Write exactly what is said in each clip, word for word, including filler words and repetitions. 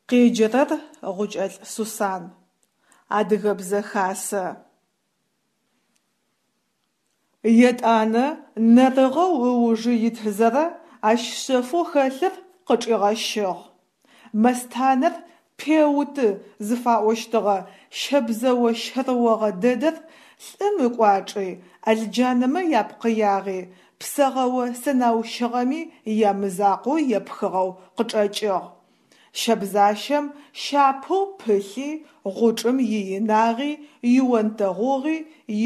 Къеджэрэр Гъукӏэлӏ Сусан. Адыгэ бзэ хасэ. Етӏанэ нэрыгъэу ыужы итызэрэ ащ шъэфэу хэлъыр къычӏигъэщыгъ. Мэстанэр пеуты зыфаӏощтыгъэ щэбзэо щэрыогъэ дэдэр лӏым ыкӏуачӏи, ӏэлджанэмэ япкъыягъи, псэгъэо сэнаущыгъэми ямызакъоу епхыгъэу къычӏэкӏыгъ. Щэбзащэм щапэу пылъи, гъучӏым иинагъи, ионтэгъугъи,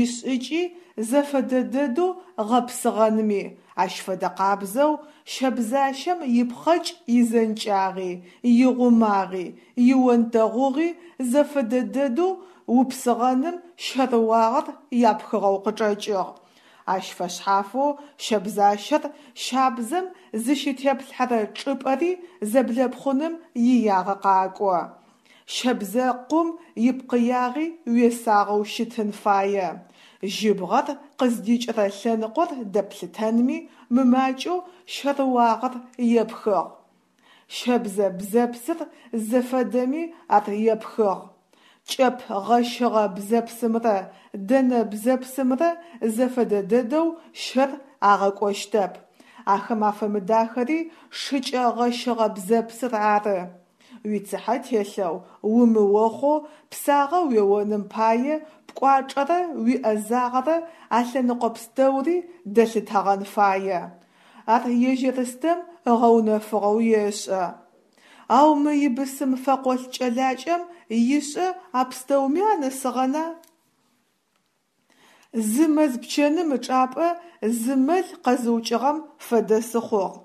ишӏыкӏи зэфэдэ дэдэу гъэпсыгъэнми, ащ фэдэ къабзэу щэбзащэм ипхъэкӏ изэнкӏагъи, игъумагъи, ионтэгъугъи зэфэдэ дэдэу упсыгъэным щэрыуагъэр япхыгъэу къычӏэкӏыгъ. Ащ фэшъхьафэу щэбзащэр щабзэм зыщытеплъхьэрэ чӏыпӏэри зэблэпхъуным иягъэ къакӏо. Щэбзэкъум ипкъыягъи уесагъэу щытын фае. Жьыбгъэр къыздикӏырэ лъэныкъор дэплъытэнми мымакӏэу щэрыуагъэр епхыгъ. Щэбзэ бзэпсыр зыфэдэми ар епхыгъ. Кӏэп гъэщыгъэ бзэпсымрэ дэнэ бзэпсымрэ зэфэдэ дэдэу щэр агъэкӏощтэп. Ахэм афэмыдахэри шыкӏэ гъэщыгъэ бзэпсыр ары. Уицыхьэ телъэу, умыохъоу псагъэ уеоным пае пкӏуачӏэрэ уиӏэзагъэрэ а лъэныкъо пстэури дэлъытэгъэн фае. Ар ежь Ерстэм ыгъэунэфыгъэу ешӏэ. Ау мы ибысым фэкъолӏ кӏэлакӏэм ишӏэ а пстэуми анэсыгъэна? Зы мэз пчэным ычӏапӏэ зы мэл къэзыукӏыгъэм фэдэ сыхъугъ,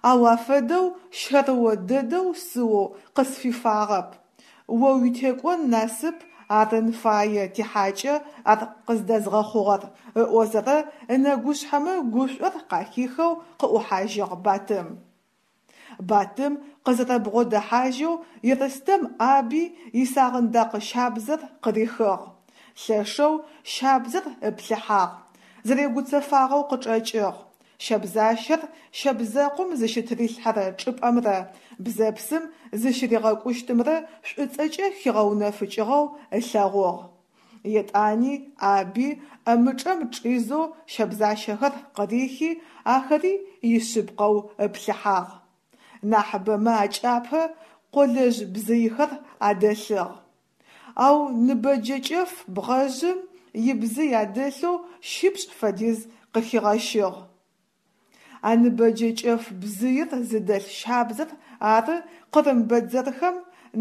ау афэдэу щэрыо дэдэу сыоу къысфифагъэп. О уитекӏон насып арын фае тихьакӏэ ар къыздэзгъэхъугъэр, ыӏозэрэ ынэгушъхьэмэ гушӏор къахихэу къыӏухьажьыгъ Батым. Батым къызэрэбгъодэхьажьэу Ерстэм ӏаби исагъындакъ щабзэр къырихыгъ. Лъэшэу щабзэр ыплъыхьагъ, зэрегуцэфагъэу къычӏэкӏыгъ. Щэбзащэр щэбзэкъум зыщытырилъхьэрэ чӏыпӏэмрэ бзэпсым зыщыригъэкӏущтымрэ шӏуцӏэкӏэ хигъэунэфыкӏыгъэу ылъэгъугъ. Етӏани ӏаби ӏэмычӏэм чӏизэу щэбзащэхэр къырихи, ахэри ишъыпкъэу ыплъыхьагъ. Нахьыбэмэ акӏапэ къолэжъ бзыйхэр адэлъыгъ. Ау ныбэджэ кӏэф бгъэжъым ибзый адэлъэу щипшӏ фэдиз къыхигъэщыгъ. А ныбэджэ кӏэф бзыир зыдэлъ щабзэр ары къырым бэдзэрхэм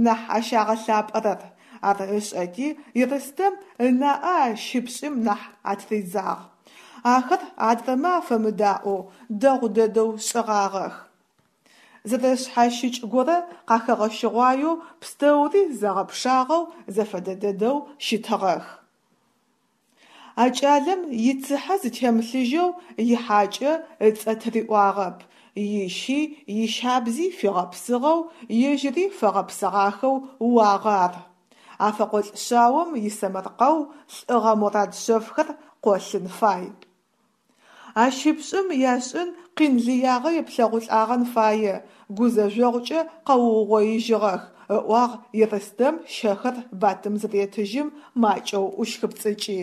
нахь ащагъэлъапӏэрэр, ар ышӏэти Ерстэм ынаӏэ а щипшӏым нахь атыридзагъ. Ахэр адрэмэ афэмыдаӏоу дэгъу дэдэу шӏыгъагъэх. Зэрэшъхьащыкӏ горэ къахэгъэщыгъуаеу пстэури зэгъэпшагъэу зэфэдэ дэдэу щытыгъэх. А кӏалэм ицыхьэ зытемылъыжьэу ихьакӏэ ыцӏэ тыриӏуагъэп, ищи ищабзи фигъэпсыгъэу, ежьыри фэгъэпсыгъахэу уагъэ ар. А фэкъолӏ шъаом исэмэркъэу лӏыгъэ морад шъэфхэр къолъын фай. А щипшӏым яшӏын къин лыягъэ еплъэгъулӏагъэн фае, гузэжъогъукӏэ къэуугъоижьыгъэх, ыӏуагъ Ерстэм щэхэр Батым зыретыжьым макӏэу ӏущхыпцӏыкӏи.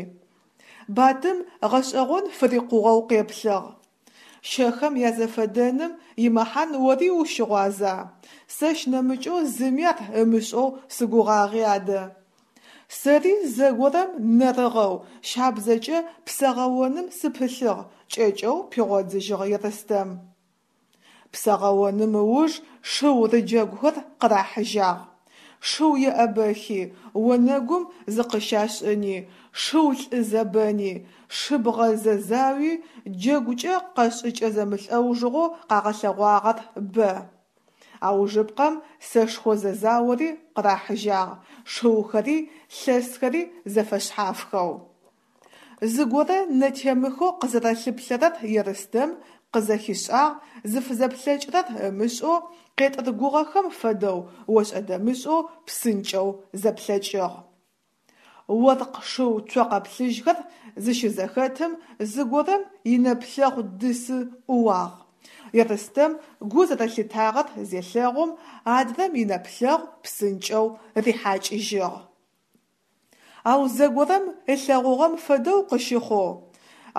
Батым гъэшӏэгъон фырикъугъэу къеплъыгъ. Щэхэм язэфэдэным имэхьан ори ущыгъуаза? Сэщ нэмыкӏэу зыми ар ымышӏэу сыгугъагъи адэ. Сэри зэгорэм нэрыгъэу щабзэкӏэ псэгъэоным сыпылъыгъ, кӏэкӏэу пигъодзыжьыгъ Ерстэм. Псэгъэоным ыуж шыу рыджэгухэр къырахьыжьагъ. Шыу еӏэбэхи, онэгум зыкъыщашӏыни, шыу лӏы зэбэни, шыбгъэ зэзауи, джэгукӏэ къэшӏыкӏэ зэмылӏэужыгъоу къагъэлъэгъуагъэр бэ. Аужыпкъэм сэшхо зэзаори къырахьыжьагъ, шыухэри лъэсхэри зэфэшъхьафхэу. Зыгорэ нэтемыхэу къызэрэлъыплъэрэр Ерстэм къызэхишӏагъ, зыфызэплъэкӏырэр ымышӏэу, къетӏыргугъэхэм фэдэу ошӏэ-дэмышӏэу псынкӏэу зэплъэкӏыгъ. Оркъ шыу цокъэ плъыжьхэр зыщызэхэтым зыгорэм инэплъэгъу дысы ӏууагъ. Ерстэм гу зэрэлъитагъэр зелъэгъум, адрэм инэплъэгъу псынкӏэу рихьакӏыжьыгъ. Ау зэгорэм ылъэгъугъэм фэдэу къыщыхъоу,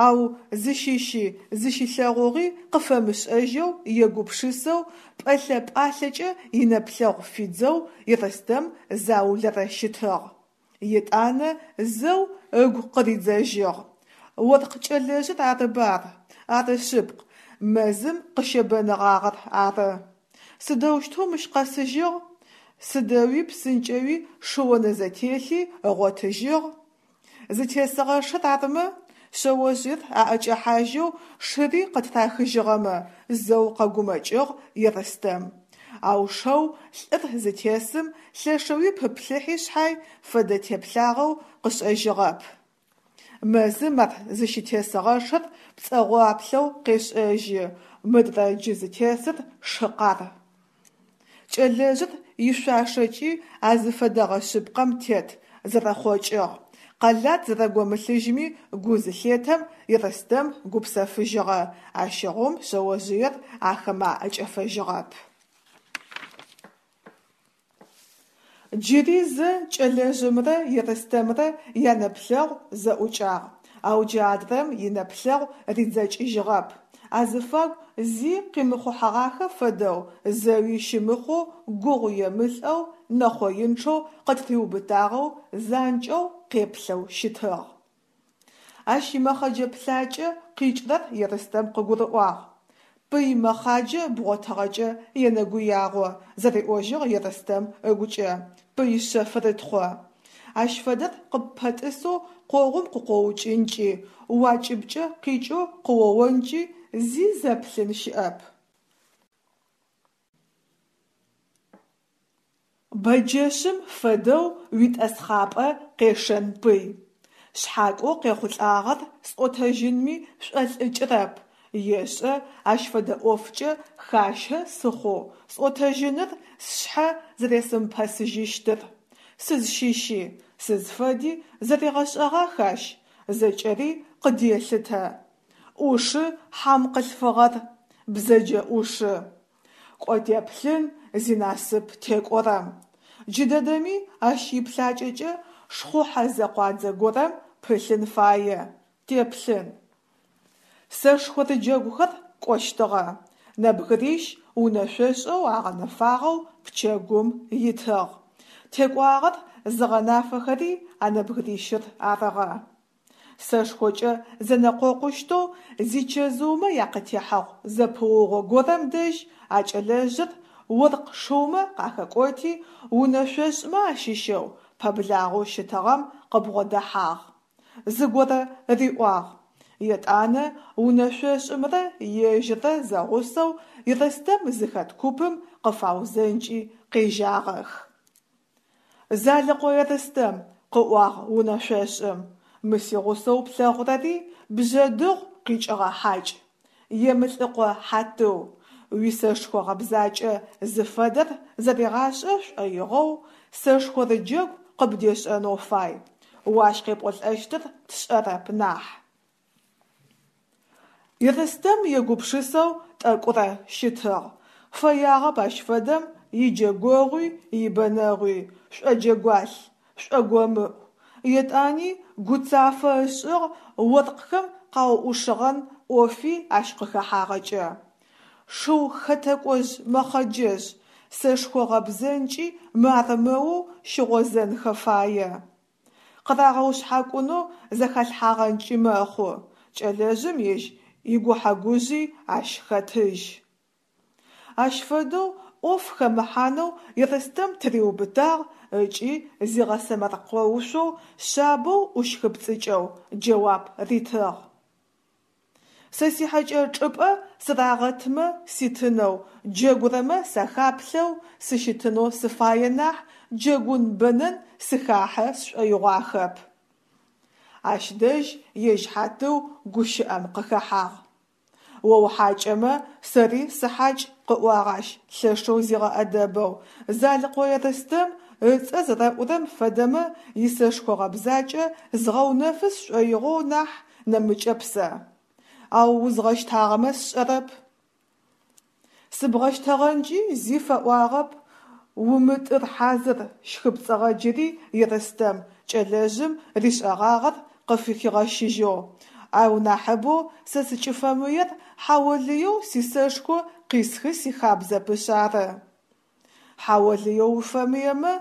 ау зыщыщи зыщилъэгъугъи къыфэмышӏэжьэу егупшысэу, пӏэлъэ-пӏалъэкӏэ инэплъэгъу фидзэу Ерстэм заулэрэ щытыгъ. Етӏанэ зэу ыгу къыридзэжьыгъ: «Оркъ кӏэлэжъыр арыба ар? Ары шъыпкъ, мэзым къыщебэныгъагъэр ары. Сыдэущтэу мыщ къэсыжьыгъ? Сыдэуи псынкӏэуи шыонэзэтелъи ыгъотыжьыгъ? Зытесыгъэ шыр арымэ? Шъэожъыер аӏэкӏэхьажьэу шыри къытырахыжьыгъэмэ?» зэу къэгумэкӏыгъ Ерстэм. Ау шэу лӏыр зытесым лъэшэуи пыплъыхьи шъхьай, фэдэ теплъагъэу къышӏэжьыгъэп. Мэзым ар зыщытесыгъэ шыр пцӏэгъоплъэу къешӏэжьы, мыдрэ джы зытесыр шы къар. Кӏэлэжъыр ишъуашэкӏи а зыфэдэгъэ шъыпкъэм тет, зэрэхъокӏыгъ. Къэлат зэрэгомылъыжьми гу зылъетэм, Ерстэм гупсэфыжьыгъэ, ащыгъум шъэожъыер ахэмэ аӏэкӏэфэжьыгъэп. Джыри зэ кӏэлэжъымрэ Ерстэмрэ янэплъэгъу зэӏукӏагъ, ау джы адрэм инэплъэгъу ридзэкӏыжьыгъэп, азыфагу зи къимыхъухьэгъахэ фэдэу, зэуи щымыхъоу, гугъу емылӏэу, нэхъоинчъэу къытыриубытагъэу занкӏэу къеплъэу щытыгъ. Ащ имэхъэджэ плъакӏэ къикӏырэр Ерстэм къыгурыӏуагъ. «Пый мэхъаджэ бгъотыгъэкӏэ енэгуягъо», – зэриӏожьыгъ Ерстэм ыгукӏэ, «пый шъэфрытхъо». Ащ фэдэр къыппэтӏысэу къогъум къыкъоукӏынкӏи, уакӏыбкӏэ къикӏэу къыоонкӏи зи зэплъын щыӏэп. Бэджэшъым фэдэу уитӏэсхъапӏэ къешэн пый. Шъхьакӏоу къехъулӏагъэр сӏотэжьынми шӏолӏыкӏырэп, ешӏэ ащ фэдэ ӏофкӏэ хащэ сыхъоу сӏотэжьыныр сшъхьэ зэресымыпэсыжьыщтыр. Сызщыщи, сызфэди зэригъэшӏэгъах ащ, зэкӏэри къыделъытэ. Ӏушы хьам къылъфыгъэр, бзэджэ ӏушы. Кӏо теплъын зинасып текӏорэм. Джыдэдэми ащ иплъакӏэкӏэ шхъухьэзэкъуадзэ горэм пылъын фае, теплъын. Сэшхорыджэгухэр кӏощтыгъэ. Нэбгырищ унэшъошӏэу агъэнэфагъэу пчэгум итыгъ. Текӏуагъэр зыгъэнафэхэри а нэбгырищыр арыгъэ. Сэшхокӏэ зэнэкъокъущтэу зичэзыумэ якъытехьэгъу зэпыугъо горэм дэжь а кӏэлэжъыр оркъ шыумэ къахэкӏоти унэшъошӏмэ ащыщэу пэблагъэу щытыгъэм къыбгъодэхьагъ. Зыгорэ риӏуагъ. Етӏанэ унэшъошӏымрэ ежьыррэ зэгъусэу Ерстэм зыхэт купым къыфаузэнкӏи къежьагъэх. «Залэкъо Ерстэм, – къыӏуагъ унэшъошӏым, – мы сигъусэу плъэгъурэри Бжъэдыгъу къикӏыгъэ хьакӏ, Емылӏыкъо Хьатыу, уисэшхо гъэбзакӏэ зыфэдэр зэригъашӏэ шӏоигъоу сэшхорыджэгу къыбдешӏэнэу фай, о ащ къепӏолӏэщтыр тшӏэрэп нахь». Ерстэм егупшысэу тӏэкӏурэ щытыгъ. Фэягъэп ащ фэдэм иджэгогъуи ибэнэгъуи, шӏоджэгуалъ, шӏогомыӏу. Етӏани гуцафэ ышӏыгъ оркъхэм къауӏушыгъэн ӏофи ащ къыхэхьагъэкӏэ. Шыу хэтэкӏожъ мэхъэджэжъ, сэшхо гъэбзэнкӏи мыармэу щыгъозэнхэ фае. Къырагъэушъхьакӏунэу зэхалъхьагъэнкӏи мэхъу, кӏэлэжъым ежь игухьэ-гужъи ащ хэтыжь. Ащ фэдэу ӏоф хэмыхьанэу Ерстэм тыриубытагъ ыкӏи зигъэсэмэркъэушъоу, шъабэу ӏущхыпцӏыкӏэу джэуап ритыгъ: «Сэ сихьэкӏэ чӏыпӏэ сырагъэтмэ ситынэу, джэгурэмэ сахаплъэу сыщытынэу сыфае нахь, джэгун-бэнэн сыхахьэ сшӏоигъуахэп». Ащ дэжь ежь Хьатыу гущыӏэм къыхэхьагъ. «О ухьакӏэмэ, сэри сыхьакӏ», – къыӏуагъ ащ лъэшэу зигъэӏэдэбэу, Залэкъо Ерстэм ыцӏэ зэрэӏурэм фэдэмэ исэшхо гъэбзакӏэ згъэунэфы сшӏоигъоу нахь, нэмыкӏэп сэ. Ау узгъэщтагъэмэ сшӏэрэп. Сыбгъэщтэгъэнкӏи зи фэӏуагъэп, умытӏыр хьазыр, – щхыпцӏыгъэ джыри Ерстэм, кӏэлэжъым ришӏэгъагъэр къыфыхигъэщыжьэу, – ау нахьыбэу сэ сыкӏыфэмыер хьаолыеу сисэшхо къисхы сихабзэпышъ ары. Хьаолыеу уфэмыемэ,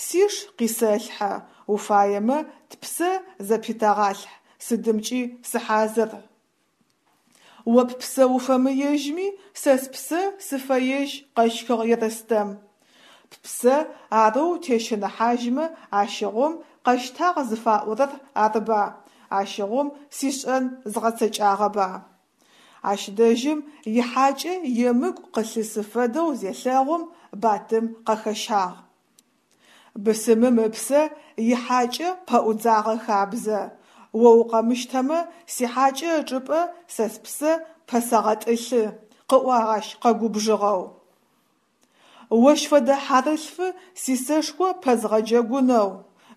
сиш къисэлъхьэ, уфаемэ тпсэ зэпетэгъалъхь, сыдымкӏи сыхьазыр. О ппсэ уфэмыежьми, сэ спсэ сыфэежь, къэщхыгъ Ерстэм. Ппсэ арэу утещыныхьажьмэ, ащыгъум къэщтагъ зыфаӏорэр арыба, ащыгъум сишӏэн згъэцэкӏагъэба. Ащ дэжьым ихьакӏэ емыкӏу къылъысы фэдэу зелъэгъум, Батым къэхэщагъ. Бысымым ыпсэ ихьакӏэ пэӏудзагъэ хабзэ. О укъэмыщтэмэ, сихьакӏэ ычӏыпӏэ сэ спсэ пэсэгъэтӏылъы, – къыӏуагъ ащ къэгубжыгъэу. Ощ фэдэ хьарылъфы сисэшхо пэзгъэджэгунэу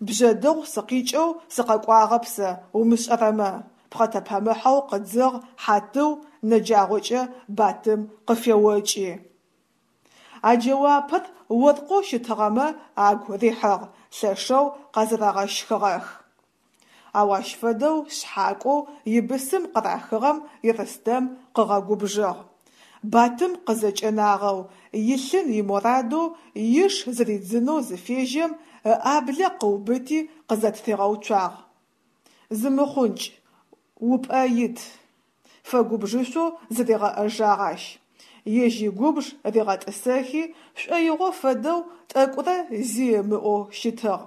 Бжъэдыгъу сыкъикӏэу сыкъэкӏуагъэп сэ, умышӏэрэмэ! – пхъэтэпэмыхьэу къыдзыгъ Хьатыу, нэджагъокӏэ Батым къыфеокӏи. А джэуапыр оркъэу щытыгъэмэ агу рихьыгъ, лъэшэу къэзэрэгъэщхыгъэх. Ау ащ фэдэу шъхьакӏоу ибысым къырахыгъэм Ерстэм къыгъэгубжыгъ. Батым къызэкӏэнагъэу, илъын имурадэу иш зыридзынэу зыфежьэм, ыӏаблэ къыубыти къызэтыригъэуцуагъ. Зымыхъункӏ, упӏэ ит! – фэгубжышъоу зыригъэӏэжагъ ащ. Ежь игубж ригъэтӏысэхи шӏоигъо фэдэу тӏэкӏурэ зи ымыӏоу щытыгъ,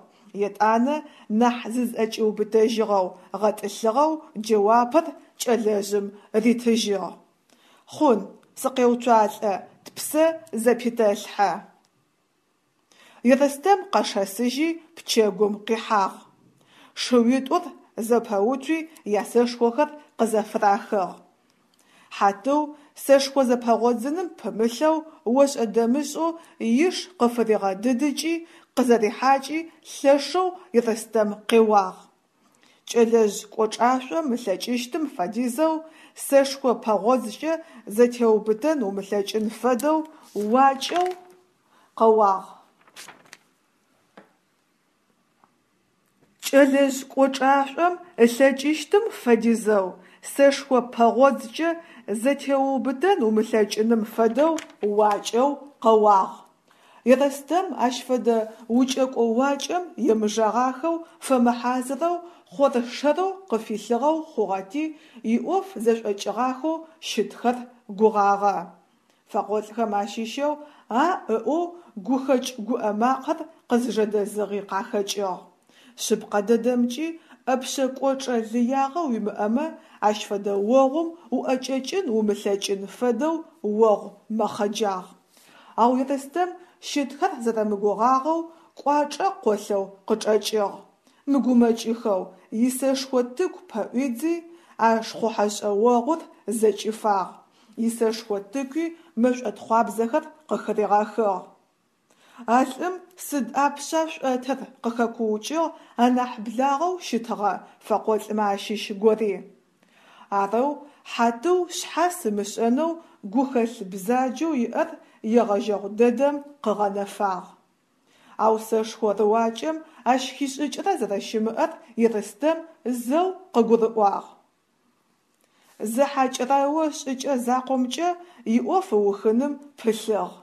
етӏанэ нахь зызӏэкӏиубытэжьыгъэу, гъэтӏылъыгъэу джэуапыр кӏэлэжъым ритыжьыгъ: Хъун, сыкъеуцуалӏэ, тпсэ зэпетэлъхьэ. Ерстэм къэшэсыжьи пчэгум къихьагъ. Шыуитӏур зэпэуцуи ясэшхохэр къызэфырахыгъ. Хьатыу сэшхо зэпэгъодзыным пымылъэу ошӏэ-дэмышӏэу иш къыфыригъэдыдыкӏи, къызэрихьакӏи лъэшэу Ерстэм къеуагъ. Кӏэлэжъ кӏочӏашӏом ылъэкӏыщтым фэдизэу, сэшхо пэгъодзкӏэ зэтеуубытэн умылъэкӏын фэдэу уакӏэу къэуагъ. Кӏэлэжъ кӏочӏашӏом ылъэкӏыщтым фэдизэу, сэшхо пэгъодзкӏэ зэтеуубытэн умылъэкӏыным фэдэу уакӏэу къэуагъ. Ерстэм ащ фэдэ укӏэкӏо уакӏэм емыжэгъахэу, фэмыхьазырэу, хъор-шэрэу къыфилъыгъэу хъугъэти, иӏоф зэшӏокӏыгъахэу щытхэр гугъагъэ. Фэкъолӏхэм ащыщэу «а» ыӏоу гухэкӏ гуӏэ макъэр къызжэдэзыгъи къахэкӏыгъ. Шъыпкъэ дэдэмкӏи, ӏэпшъэ кӏочӏэ лыягъэ уимыӏэмэ, ащ фэдэ огъум уӏэкӏэкӏын умылъэкӏын фэдэу огъу мэхъэджагъ. Ау Ерстэм щытхэр зэрэмыгугъагъэу кӏуачӏэ къолъэу къычӏэкӏыгъ. Мыгумэкӏыхэу исэшхо тыку пэӏуидзи, а шхъухьэшӏэ огъур зэкӏифагъ, исэшхо тыкуи мэшӏо тхъуабзэхэр къыхыригъэхыгъ. А лӏым сыд ӏапшъа шӏотыр! – къыхэкуукӏыгъ анахь благъэу щытыгъэ фэкъолӏмэ ащыщ гори. Арэу Хьатыу шъхьас ымышӏэнэу гухэлъ бзаджэу иӏэр егъэжьэгъу дэдэм къыгъэнэфагъ. Ау сэшхо рыуакӏэм ащ хишӏыкӏырэ зэрэщымыӏэр Ерстэм зэу къыгурыӏуагъ. Зэхьакӏрэо шӏыкӏэ закъомкӏэ иӏоф ыухыным пылъыгъ.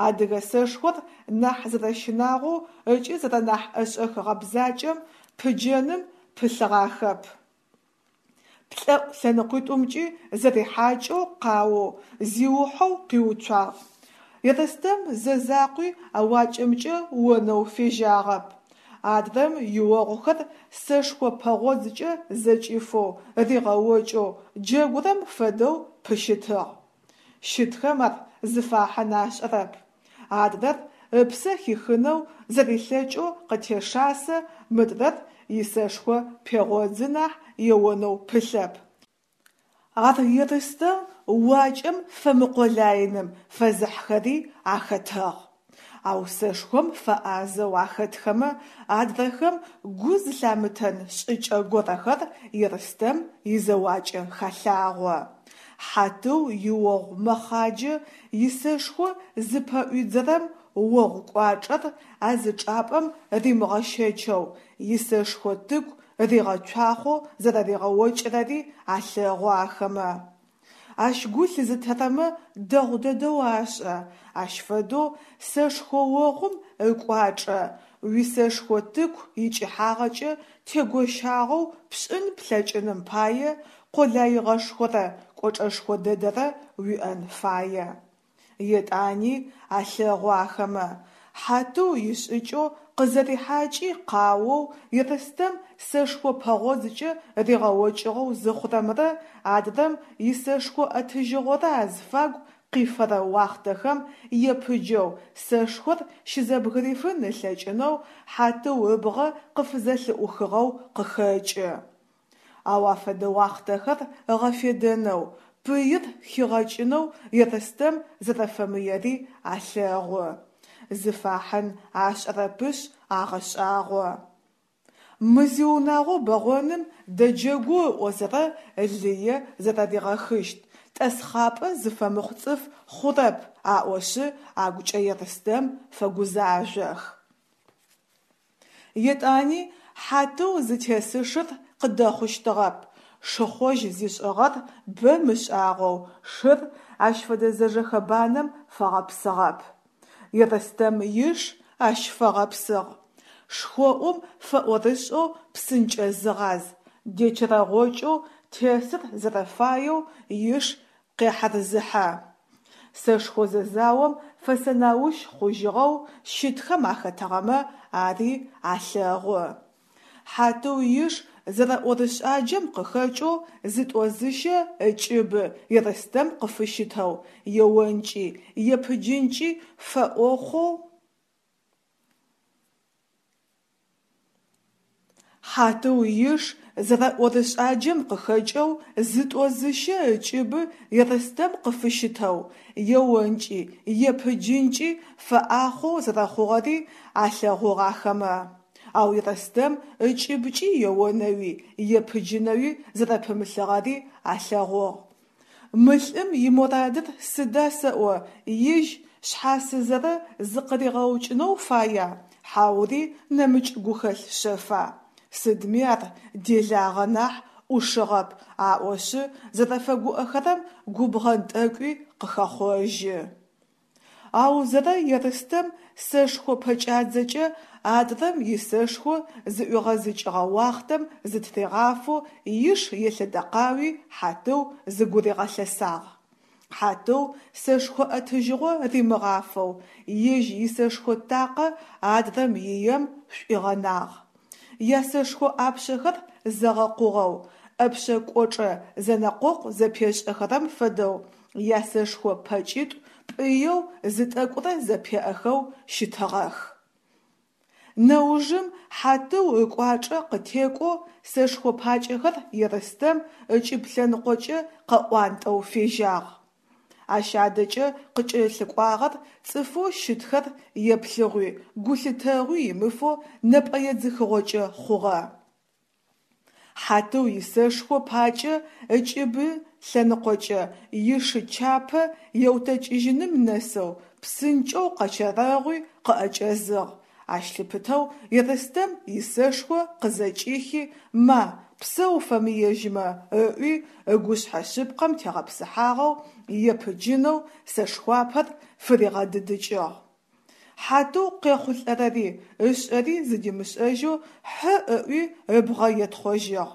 Адыгэ сэшхор нахь зэрэщынагъоу ыкӏи зэрэнахь ӏэшӏэх гъэбзакӏэм пыджэным пылъыгъахэп. Плӏэӏу лъэныкъуитӏумкӏи зэрихьакӏэу къаоу, зиухьэу къиуцуагъ. Ерстэм зэ закъуи а уакӏэмкӏэ онэу фежьагъэп. Адрэм иогъухэр сэшхо пэгъодзкӏэ зэкӏифэу, ригъэокӏэу, джэгурэм фэдэу пыщытыгъ. Щытхэм ар зыфахьын ашӏэрэп. Адрэр ыпсэ хихынэу зэрилъэкӏэу къытешасэ, мыдрэр исэшхо пегъодзы нахь еонэу пылъэп. Ар Ерстэм уакӏэм фэмыкъулаиным фэзыхьхэри ахэтыгъ. Ау сэшхом фэӏазэу ахэтхэмэ адрэхэм гу зылъамытэн шӏыкӏэ горэхэр Ерстэм изэуакӏэ халъагъо. Хьатыу иогъу мэхъаджэ исэшхо зыпэӏуидзэрэм огъу кӏуачӏэр а зы чӏапӏэм римыгъэщэчэу, исэшхо тыку ригъэцуахъоу зэрэригъэокӏырэри алъэгъу ахэмэ. Ащ гу лъызытэрэмэ дэгъу дэдэу ашӏэ, ащ фэдэу сэшхо огъум ыкӏуачӏэ уисэшхо тыку икӏыхьагъэкӏэ тегощагъэу пшӏын плъэкӏыным пае къолаигъэшхорэ кӏочӏэшхо дэдэрэ уиӏэн фае. Етӏани алъэгъу ахэмэ, Хьатыу ишӏыкӏэу къызэрихьакӏи къаоу Ерстэм сэшхо пэгъодзкӏэ ригъэокӏыгъэу зыхъурэмрэ адрэм исэшхо ӏэтыжьыгъорэ азфагу къифэрэ уахътэхэм епыджэу сэшхор щызэбгырифын ылъэкӏынэу Хьатыу ыбгъэ къыфызэлъыӏухыгъэу къыхэкӏы. Ау а фэдэ уахътэхэр ыгъэфедэнэу, пыир хигъэкӏынэу Ерстэм зэрэфэмыери алъэгъу. Зыфахьын ашӏэрэпышъ агъэшӏагъо. Мы зиунагъо бэгъоным дэджэгу ыӏозэрэ лые зэрэригъэхыщт, тӏэсхъапӏэ зыфэмыхъу цӏыф хъурэп аӏошъы агукӏэ Ерстэм фэгузажъох. Етӏани Хьатыу зытесышыр къыдэхъущтыгъэп, шыхъожь зишӏыгъэр бэ мышӏагъэу шыр ащ фэдэ зэжэхэбанэм фэгъэпсыгъэп. Ерстэм иш ащ фэгъэпсыгъ. Шхоӏум фэӏорышӏэу псынкӏэ зыгъаз, дечэрэгъокӏэу тесыр зэрэфаеу иш къехьэрзыхьэ. Сэшхо зэзаом фэсэнаущ хъужьыгъэу щытхэм ахэтыгъэмэ ари алъэгъу. Хьатыу иш зэрэӏорышӏаджэм къыхэкӏэу зытӏо-зыщэ ыкӏыбы Ерстэм къыфыщытэу, еонкӏи, епыджынкӏи фэӏохъоу Хьатыу иш зэрэӏорышӏаджэм къыхэкӏэу зытӏо-зыщэ ыкӏыбы Ерстэм къыфыщытэу, еонкӏи, епыджынкӏи фэӏахъоу зэрэхъугъэри алъэгъугъ ахэмэ. Ау Ерстэм ыкӏыбкӏи еонэуи, епыджынэуи зэрэпымылъыгъэри алъэгъугъ. Мы лӏым иморадыр сыда сэӏо, ежь шъхьасызэрэ зыкъыригъэукӏынэу фая, хьаури нэмыкӏ гухэлъ шъэфа? Сыдми ар делагъэ нахь ӏушыгъэп, аӏошъы зэрэфэгуӏэхэрэм губгъэн тӏэкӏуи къыхэхъожьы. Ау зэрэ Ерстэм сэшхо пэкӏадзэкӏэ адрэм исэшхо зыӏуигъэзыкӏыгъэ уахътэм зытыригъафэу иш елъэдэкъауи Хьатыу зыгуригъэлъэсагъ. Хьатыу сэшхо ӏэтыжьыгъо римыгъафэу ежь исэшхо такъэ адрэм ием шӏуигъэнагъ. Ясэшхо ӏапшъэхэр зэгъэкъугъэу, ӏэпшъэ кӏочӏэ зэнэкъокъу зэпешӏэхэрэм фэдэу ясэшхо пэкӏитӏу пӏыеу зы тӏэкӏурэ зэпеӏэхэу щытыгъэх. Нэужым Хьатыу ыкӏуачӏэ къытекӏоу сэшхо пакӏэхэр Ерстэм ыкӏыб лъэныкъокӏэ къыӏуантӏэу фежьагъ. Ащ адэкӏэ къыкӏэлъыкӏуагъэр цӏыфэу щытхэр еплъыгъуи гулъытэгъуи имыфэу нэпӏэедзыхыгъокӏэ хъугъэ. Хьатыу исэшхо пакӏэ ыкӏыбы лъэныкъокӏэ ишы чапэ еутэкӏыжьыным нэсэу псынкӏэу къэчэрэгъуи къыӏэкӏэзыгъ, ащ лъыпытэу Ерстэм исэшхо къызэкӏихи «Ма, псэ уфэмыежьмэ» ыӏуи ыгушъхьэ шъыпкъэм тегъэпсыхьагъэу епыджынэу сэшхуапэр фыригъэдыдыкӏыгъ. Хьатыу къехъулӏэрэри ышӏэри зыдимышӏэжьэу хьы ыӏуи ыбгъэ етхъожьыгъ.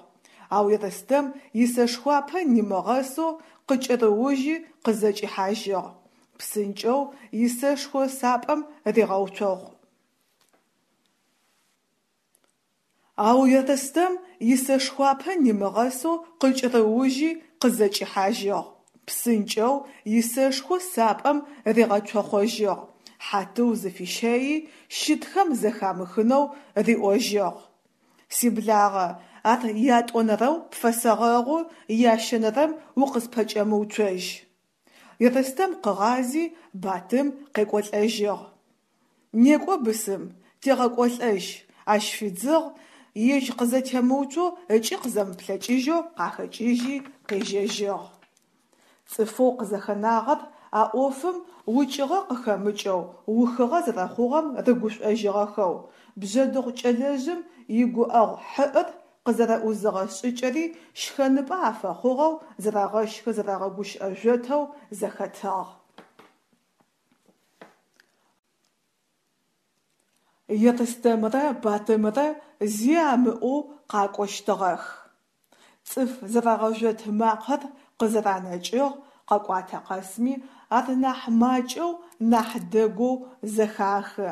Ау Ерстэм исэшхуапэ нимыгъэсэу къыкӏэрыужьи къызэкӏихьажьыгъ. Псынкӏэу исэшхо сапӏэм ригъэуцогъу. Ау Ерстэм исэшхуапэ нимыгъэсэу къыкӏэрыужьи къызэкӏихьажьыгъ. Псынкӏэу исэшхо сапӏэм ригъэцохъожьыгъ, Хьатыу зыфищэйи, щытхэм зэхамыхынэу риӏожьыгъ: «Сиблагъэ, ар ятӏонэрэу пфэсэгъэгъу, ящэнэрэм укъыспэкӏэмыуцожь». Ерстэм къыгъази Батым къекӏолӏэжьыгъ. «Некӏо, бысым, тегъэкӏолӏэжь», ащ фидзыгъ, ежь къызэтемыуцоу ыкӏи къызэмыплъэкӏыжьэу къахэкӏыжьи къежьэжьыгъ. Цӏыфэу къызэхэнагъэр а ӏофым укӏыгъэ къыхэмыкӏэу ухыгъэ зэрэхъугъэм рыгушӏожьыгъэхэу, бжъэдыгъу кӏэлэжъым игуӏэгъу хьыӏыр къызэрэӏузыгъэ шӏыкӏэри щхэныпӏэ афэхъугъэу зэрэгъэщхы-зэрэгъэгущыӏэ жъотэу зэхэтыгъ. Ерстэмрэ Батымэрэ зи амыӏоу къакӏощтыгъэх. Цӏыф зэрэгъэжъот макъэр къызэранэкӏыгъ, къэкӏуатэ къэсми ар нахь макӏэу, нахь дэгоу зэхахы.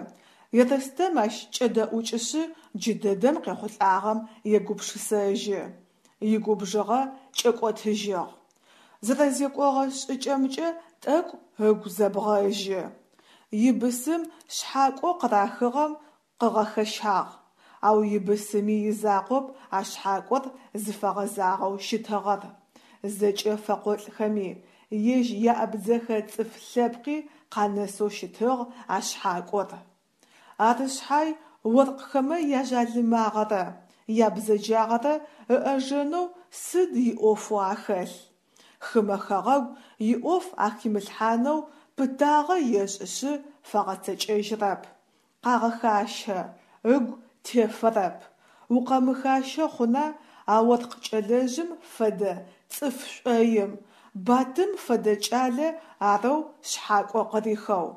Ерстэм ащ кӏэдэӏукӏышъы джыдэдэм къехъулӏагъэм егупшысэжьы. Игубжыгъэ кӏэкӏотыжьыгъ. Зэрэзекӏогъэ шӏыкӏэмкӏэ тӏэкӏу ыгу зэбгъэжьы. Ибысым шъхьакӏоу къырахыгъэм къыгъэхэщагъ, ау ибысыми изакъоп а шъхьакӏор зыфэгъэзагъэу щытыгъэр, зэкӏэ фэкъолӏхэми, ежь яабдзэхэ цӏыф лъэпкъи къанэсэу щытыгъ а шъхьакӏор. Ары шъхьай оркъхэмэ яжъалымагъэрэ ябзэджагъэрэ ыӏэжэнэу сыд иӏофэу ахэлъ? Хымэ хэгъэгу иӏоф ахимылъхьанэу пытагъэ ешӏышъы фэгъэцэкӏэжьрэп. Къагъэхащэ, ыгу тефэрэп. Укъэмыхащэ хъуна а оркъ кӏэлэжъым фэдэ цӏыф шӏоим, Батым фэдэ кӏалэ арэу шъхьакӏо къырихэу.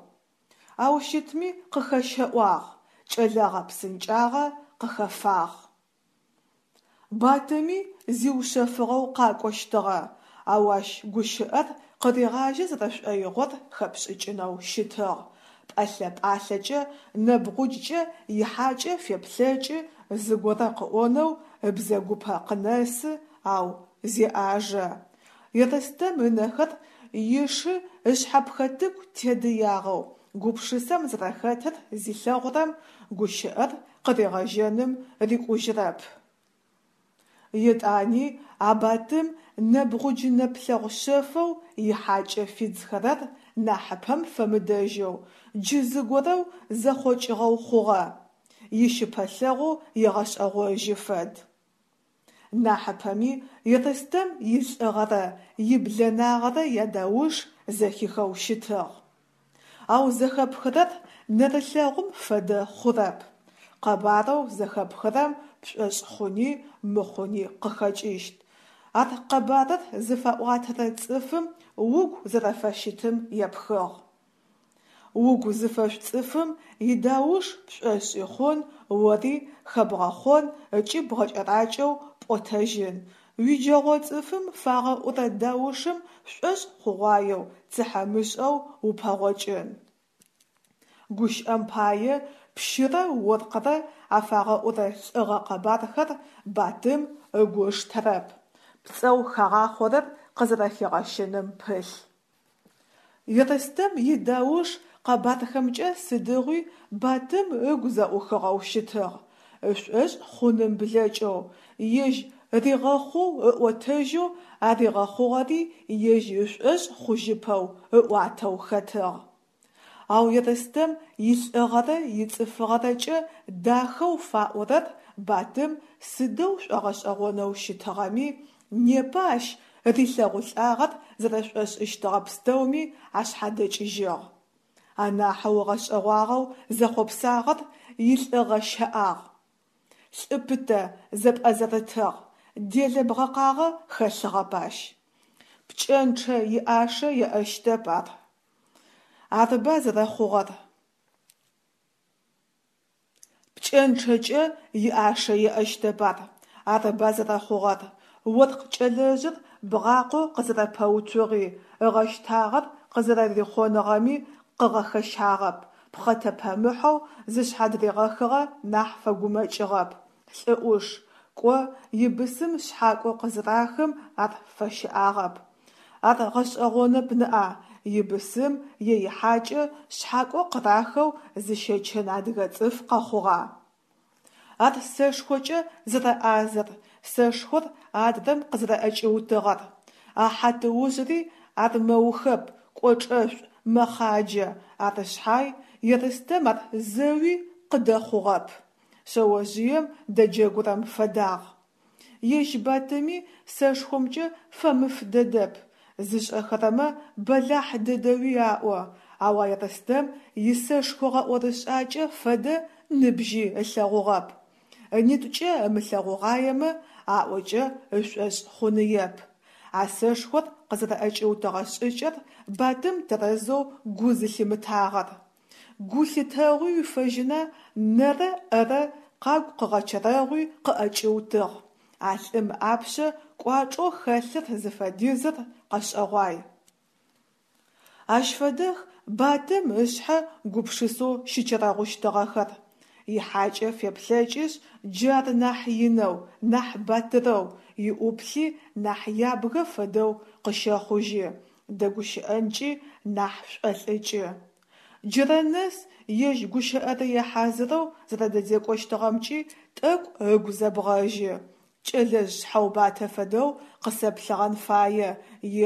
Ау щытми къыхэщэӏуагъ, кӏэлэгъэ псынкӏагъэ къыхэфагъ. Батыми зиушъэфыгъэу къакӏощтыгъэ, ау ащ гущыӏэр къыригъажьэ зэрэшӏоигъор хэпшӏыкӏынэу щытыгъ, пӏэлъэ-пӏалъэкӏэ нэбгъуджкӏэ ихьакӏэ феплъэкӏы, зыгорэ къыӏонэу ыбзэгупэ къынэсы, ау зеӏажэ. Ерстэм ынэхэр ишы ышъхьэпхэтыку тедыягъэу гупшысэм зэрэхэтыр зилъэгъурэм, гущыӏэр къыригъэжьэным рикӏужьырэп. Етӏани а Батым нэбгъудж нэплъэгъу шъэфэу ихьакӏэ фидзхэрэр нахьыпэм фэмыдэжьэу джы зыгорэу зэхъокӏыгъэу хъугъэ, ищыпэлъэгъоу егъэшӏэгъожьы фэд. Нахьыпэми Ерстэм илӏыгъэрэ иблэнагъэрэ ядауш зэхихэу щытыгъ. Ау зэхэпхырэр нэрылъэгъум фэдэ хъурэп. Къэбарэу зэхэпхырэм пшӏошъ хъуни мыхъуни къыхэкӏыщт. Ар къэбарыр зыфаӏуатэрэ цӏыфым угу зэрэфыщытым епхыгъ. Угу зыфэшӏу цӏыфым идауш пшӏошъи хъун, ори хэбгъэхъон ыкӏи бгъэкӏэракӏэу пӏотэжьын, уиджэгъо цӏыфым фагъэӏурэ даушым шӏошъ хъугъуаеу, цыхьэмышӏэу упэгъокӏын. Гущыӏэм пае, пщырэ оркърэ афагъэӏурэ лӏыгъэ къэбархэр Батым ыгу ыштэрэп, пцӏэу хагъахъорэр къызэрэхигъэщыным пылъ. Ерстэм идауш къэбархэмкӏэ сыдигъуи Батым ыгу зэӏухыгъэу щытыгъ, ышӏошъ хъуным блэкӏэу, ежь ригъэхъоу ыӏотэжьэу, а ригъэхъугъэри ежь ышӏошъ хъужьыпэу ыӏуатэу хэтыгъ. Ау Ерстэм илӏыгъэрэ ицӏыфыгъэрэкӏэ дахэу фаӏорэр Батым сыдэу шӏогъэшӏэгъонэу щытыгъэми, непэ ащ рилъэгъулӏагъэр зэрэшӏошӏыщтыгъэ пстэуми ашъхьадэкӏыжьыгъ. Анахьэу ыгъэшӏэгъуагъэу зэхъопсагъэр илӏыгъэ-щэӏагъ. Лӏы пытэ зэпӏэзэрытыгъ, делэ-бгъэкъагъэ хэлъыгъэп ащ. Пкӏэнчъэ иӏашэ еӏэщтэп ар. Арыба зэрэхъугъэр. Пкӏэнчъэкӏэ иӏашэ еӏэщтэп ар. Арыба зэрэхъугъэр. Оркъ кӏэлэжъыр бгъакъэу къызэрэпэуцугъи, ыгъэщтагъэр къызэрэрихъоныгъэми къыгъэхэщагъэп, пхъэтэпэмыхьэу зышъхьадыригъэхыгъэ нахь фэгумэкӏыгъэп. Лӏы ӏуш, кӏо, ибысым шъхьакӏо къызырахым ар фэщыӏагъэп. Ар гъэшӏэгъонэп ныӏа, ибысым е ихьакӏэ шъхьакӏо къырахэу зыщэчын адыгэ цӏыф къэхъугъа? Ар сэшхокӏэ зэрэӏазэр, сэшхор адрэм къызэрэӏэкӏиутыгъэр, а хьатыужъри армэухэп, кӏочӏэшӏу, мэхъаджэ, ары шъхьай Ерстэм ар зэуи къыдэхъугъэп, шъэожъыем дэджэгурэм фэдагъ. Ежь Батыми сэшхомкӏэ фэмыф дэдэп, Зышӏэхэрэмэ бэлахь дэдэуи аӏо, ау а Ерстэм исэшхо гъэӏорышӏакӏэ фэдэ ныбжьи ылъэгъугъэп. Ынитӏукӏэ ымылъэгъугъаемэ, аӏокӏэ ышӏошъ хъуныеп. А сэшхор къызэрэӏэкӏиутыгъэ шӏыкӏэр Батым тэрэзэу гу зылъимытагъэр. Гу лъытэгъуи уифэжьына нэрэ ӏэрэ къагу къыгъэчэрэгъуи къыӏэкӏиутыгъ. А лӏым ыӏапшъэ кӏуачӏэу хэлъыр зыфэдизыр къэшӏэгъуай. Ащ фэдэх Батым ышъхьэ гупшысэу щычэрэгъущтыгъэхэр. Ихьакӏэ феплъэкӏышъ, джы ар нахь инэу, нахь батырэу, иӏуплъи нахь ябгэ фэдэу къыщэхъужьы, дэгущыӏэнкӏи нахь шӏолӏыкӏы. Джырэ нэс ежь гущыӏэрые хьазырэу зэрэдэзекӏощтыгъэмкӏи тӏэкӏу ыгу зэбгъэжьы, кӏэлэжъ шъхьэубатэ фэдэу къысэплъыгъэн фае,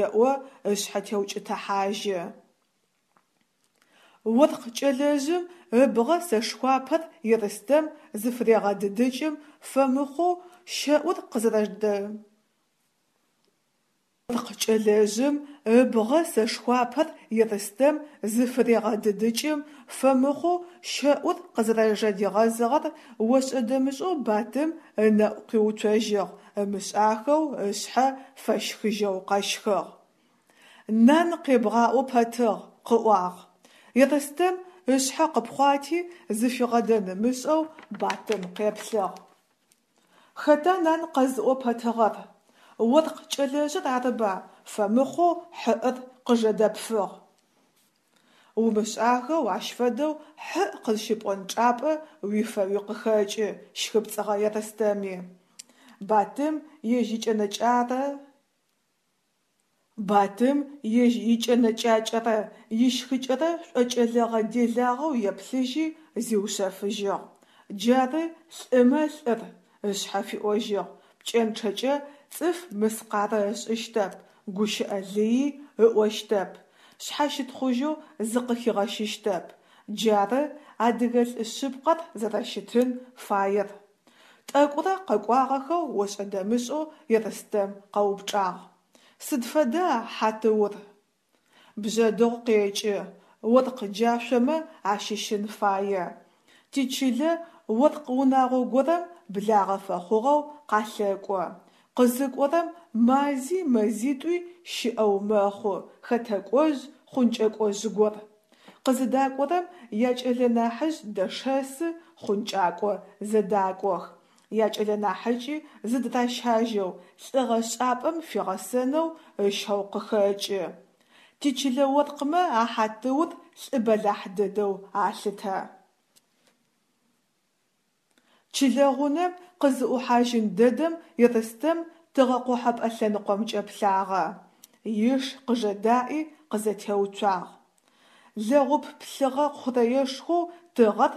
еӏо ышъхьэ теукӏытыхьажьы. Оркъ кӏэлэжъым ыбгъэ сэшхуапэр Ерстэм зыфырегъэдыдыкӏым, фэмыхъоу щэӏур къызэрэжэдэ. Оркъ кӏэлэжъым ыбгъэ сэшхуапэр Ерстэм зыфырегъэдыдыкӏым, фэмыхъоу щэӏур къызэрэжэдигъэзыгъэр ошӏэ-дэмышӏэу Батым ынэӏу къиуцожьыгъ, ымышӏахэу ышъхьэ фэщхыжьэу къэщхыгъ. Нан къебгъаӏо пэтыгъ, къыӏуагъ. Ерстэм ышъхьэ къыпхъуати, зыфигъэдэн ымышӏэу Батым къеплъыгъ. Хэта нан къэзыӏо пэтыгъэр? Оркъ кӏэлэжъыр арыба, фэмыхъоу хьыӏыр къыжэдэпфыгъ. Умышӏахэу ащ фэдэу хьыӏ къызщыпӏон чӏапӏэ уифэуи къыхэкӏы, щхыпцӏыгъэ Ерстэми. Батым ежь икӏэнэкӏарэ Батым ежь икӏэнэкӏакӏэрэ ищхыкӏэрэ шӏокӏэлэгъэ-делагъэу еплъыжьи, зиушъэфыжьыгъ: «Джары лӏымэ лӏыр, – ышъхьэ фиӏожьыгъ, – пкӏэнчъэкӏэ цӏыф мыскъарэ ышӏыщтэп, гущыӏэ лыий ыӏощтэп, шъхьащытхъужьэу зыкъыхигъэщыщтэп. Джары адыгэ лӏы шъыпкъэр зэрэщытын фаер». Тӏэкӏурэ къэкӏуагъэхэу ошӏэ-дэмышӏэу Ерстэм къэупчӏагъ: «Сыд фэда хьатыур?» Бжъэдыгъу къекӏы, оркъ джашъомэ ащыщын фае. Тичылэ оркъ унагъо горэм благъэ фэхъугъэу къалъэкӏо. Къызыкӏорэм мази мэзитӏуи щыӏэу мэхъу, хэтэкӏожъ, хъункӏэкӏожъ гор. Къызыдакӏорэм якӏэлэ нахьыжъ дэшэсы, хъункӏакӏо зэдакӏох. Якӏэлэ нахьыкӏи зыдыращажьэу, лӏыгъэшӏапӏэм фигъэсэнэу ыщэу къыхэкӏы. Тичылэ оркъмэ а хьатыур лӏы бэлахь дэдэу алъытэ. Чылэ гъунэм къызыӏухьажьын дэдэм Ерстэм тыгъэкъохьэпӏэ лъэныкъомкӏэ плъагъэ. Иш къыжэдаӏи къызэтеуцуагъ. Лэгъуп плъыгъэ хъурэешхоу тыгъэр